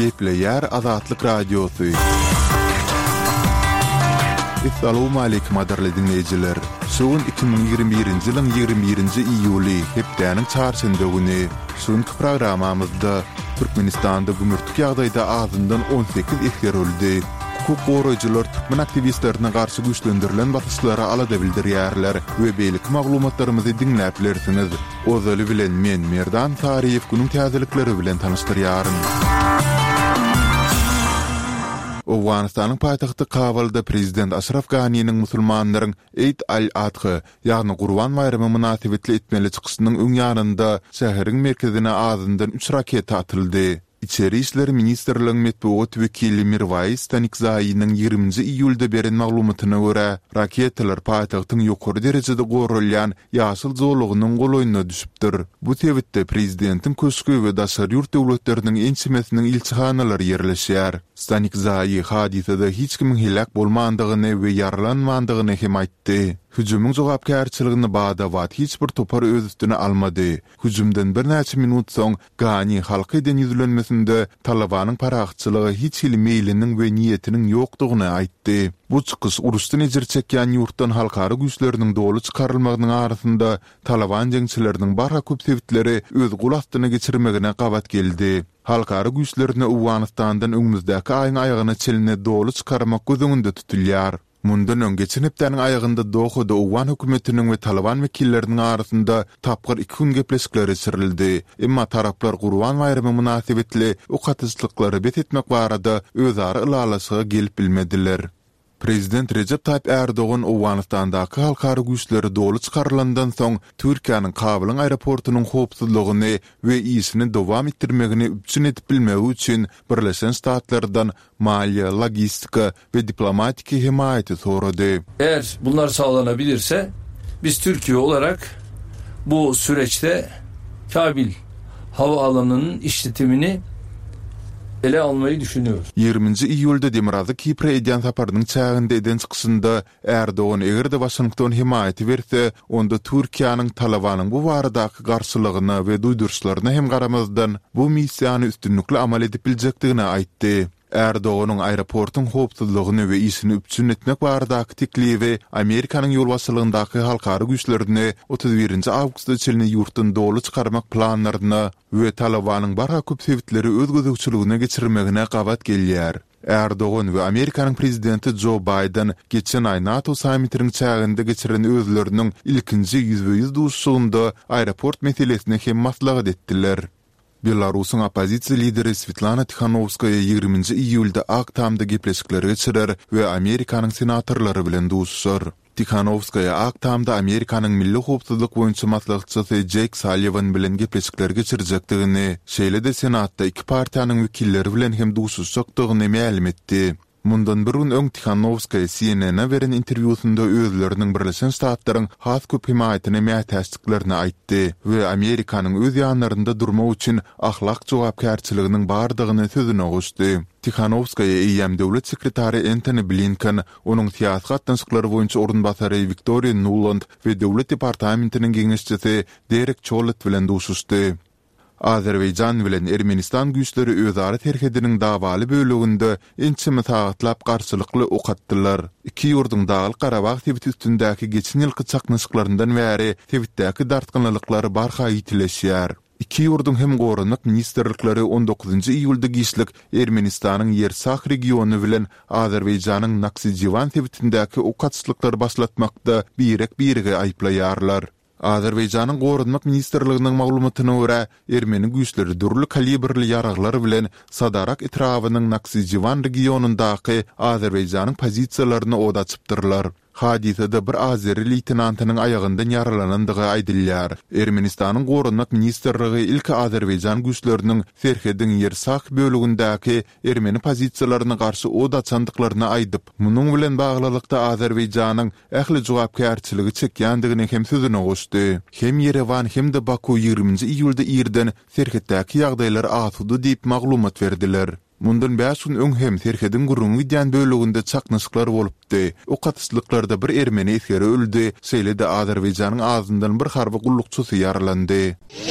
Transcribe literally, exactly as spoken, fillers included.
Gepleýär Azatlyk Radiosy. Essalawmaleýkim gadyrly diňleýjiler! Şu gün iki müň ýigrimi birinji ýylyň ýigrimi birinji iýuly, hepdäniň çarşenbe güni. Şu günki programmamyzda Türkmenistanda gümürtik ýagdaýda azyndan on sekiz esger öldi. Hukuk goraýjylar türkmen aktiwistlerine garşy güýçlendirilen basyşlara alada bildirýärler we beýleki maglumatlarymyzy diňläp bilersiňiz. Ozaly bilen men, Merdan Saryýew günüň täzelikleri bilen tanyşdyrýaryn. Owganystanyň paýtagty Kabulda prezident Aşraf Ganiniň musulmanlaryň Eid al-Adha, ýagny Gurban baýramy mynasybetli etmeli çykyşynyň öň ýanynda şäheriň merkezine azyndan üç raketa atyldy. Içeri işler ministrligiň metbugat wekili Mirwais Stanikzaýynyň ýigriminji iýulda beren maglumatyna görä, raketalar paýtagtyň ýokary derejede goralýan ýaşyl zolagynyň golaýyna düşüpdir. Bu sebitde prezidentiň köşgi we daşary ýurt döwletleriniň ençemesiniň ilçihanalary ýerleşýär. Stanikzaýy hadysada hiç kimiň heläk bolmandygyny we ýaralanmandygyny hem aýtdy. Hüjümiň jogapkärçiligini bada-bat hiç bir topar öz üstüne almady. Hüjümden birnäçe minut soň Gani halka eden ýüzlenmesinde Talybanyň parahatçylyga hiç hili meýliniň we niýetiniň ýokdugyny aýtdy. Bu çykyş uruşdan ejir çekýän ýurtdan halkara güýçleriniň doly çykarylmagynyň arasynda Talyban jeňçileriniň barha köp sebitleri öz gol astyna geçirmegine gabat geldi. Halkara güýçlerini Owganystandan öňümizdäki aýyň aýagyna çenli doly çykarmak göz öňünde tutulýar. Mundan öň, geçen hepdäniň aýagynda Dohada owgan hökümetiniň we Talyban wekilleriniň arasynda tapgyr iki gün gepleşikler geçirildi. Emma taraplar Gurban baýramy mynasybetli ok atyşlyklary bes etmek barada özara ylalaşyga gelip bilmediler. Prezident Rejep Taýyp Ärdogan Owganystandaky halkara güýçleri doly çykarylandan soň Türkiýäniň Kabulyň aeroportunyň howpsuzlygyny we işini dowam etdirmegini üpjün edip bilmegi üçin Birleşen Ştatlardan maliýe, logistika we diplomatiki hemaýaty sorady. Eğer bunlar sağlanabilirse biz Türkiye olarak bu süreçte Kabil havaalanının işletimini ele almayı düşünüyoruz. Ýigriminji iýulda Demirgazyk Kipre edýän saparynyň çäginde eden çykyşynda Erdogan eger-de Waşington hemaýaty berse, onda Türkiýäniň Talabanyň bu baradaky garşylygyna we duýduryşlaryna hem garamazdan, bu missiýany üstünlikli amal edip biljekdigini aýtdy. Erdoganyň aeroportuň howpsuzlygyny we işini üpjün etmek baradaky teklibi Amerikanyň ýolbaşçylygyndaky halkara güýçlerini otuz birinji awgusta çenli ýurtdan doly çykarmak planlaryna we Talabanyň barha köp sebitleri öz gözegçiligine geçirmegine gabat gelýär. Erdogan we Amerikanyň prezidenti Jo Baýden geçen aý NATO sammitiniň çäginde geçiren özleriniň ilkinji ýüzbe-ýüz duşuşygynda aeroport meselesini hem maslahat etdiler. Belarusyň oppozisiýa lideri Swetlana Tihanowskaýa ýigriminji iýulda Ak Tamda gepleşikleri geçirer we Amerikanyň senatorlary bilen duşuşar. Tihanowskaýa Ak Tamda Amerikanyň milli howpsuzlyk boýunça maslahatçysy Jeýk Salliwan bilen gepleşikleri geçirjekdigini, şeýle-de Senatda iki partiýanyň wekilleri bilen hem duşuşjakdygyny mälim etdi. Mundan bir gün öň Tihanowskaýa C N N-e beren interwýusynda özleriniň Birleşen Ştatlaryň has köp hemaýatyna mätäçdiklerini aýtdy we Amerikanyň öz ýanlarynda durmak üçin ahlak jogapkärçiliginiň bardygyny sözüne goşdy. Tihanowskaýa eýýäm döwlet sekretary Entoni Blinken, onuň syýasy gatnaşyklar boýunça orunbasary Wiktoriýa Nuland we Döwlet departamentiniň geňeşçisi Derek Çollet bilen duşuşdy. Azerbaýjan bilen Ermenistan güýçleri özara serhediniň dawaly böleginde ençeme sagatlap garşylykly ok atdylar. Iki ýurduň Daglyk-Garabag sebiti üstündäki geçen ýylky çaknyşyklaryndan bäri sebitdäki dartgynlylyklar barha ýitileşýär. Iki ýurduň hem Goranmak ministrlikleri on dokuzynjy iýulda giçlik Ermenistanyň Ýersah regiony bilen Azerbaýjanyň Naksijiwan sebitindäki ok atyşlyklary başlatmakda birek-biregi aýyplaýarlar. Azerbaýjanyň Goranmak ministrliginiň maglumatyna görä, ermeni güýçleri dürli kalibrli ýaraglar bilen Sadarak etrabynyň Naksijiwan regionyndaky Azerbaýjanyň pozisiýalaryna od açypdyrlar. Hadysada bir azeri leýtenantynyň aýagyndan ýaralanandygy aýdylýar. Ermenistanyň Goranmak ministrligi ilki azerbaýjan güýçleriniň serhediň Ýersah bölegindäki ermeni pozisiýalaryna garşy od açandyklaryny aýdyp, munuň bilen baglylykda Azerbaýjanyň ähli jogapkärçiligi çekýändigini hem sözüne goşdy. Hem Ýerewan hem-de Baku ýigriminji iýulda irden serhetdäki ýagdaýlar asuda diýip maglumat berdiler. Mundan bäş gün öň hem serhediň gürrüňi gidýän böleginde çaknyşyklar bolupdy. Ok atyşlyklarda bir ermeni esgeri öldi, şeýle-de Azerbaýjanyň azyndan bir harby gullukçysy ýaralandy.